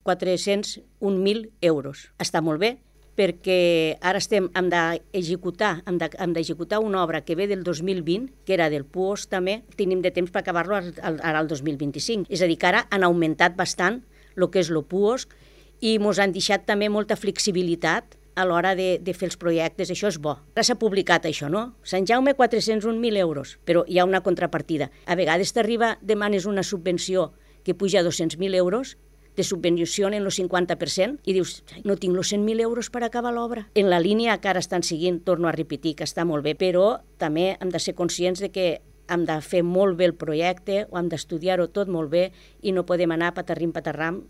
401.000 euros. Està molt bé, perquè ara hem d'executar una obra que ve del 2020, que era del PUOS també, tenim de temps per acabar-lo ara al 2025. És a dir, que ara han augmentat bastant el que és el PUOS i ens han deixat també molta flexibilitat a l'hora de fer els projectes. Això és bo. Ara s'ha publicat això, no? Sant Jaume, 401.000 euros, però hi ha una contrapartida. A vegades demanes una subvenció que puja a 200.000 euros, te subvencionen el 50% i dius, no tinc els 100.000 euros per acabar l'obra. En la línia que ara estan seguint, torno a repetir, que està molt bé, però també hem de ser conscients de que hem de fer molt bé el projecte, o hem d'estudiar-ho tot molt bé i no podem anar patarrim-patarram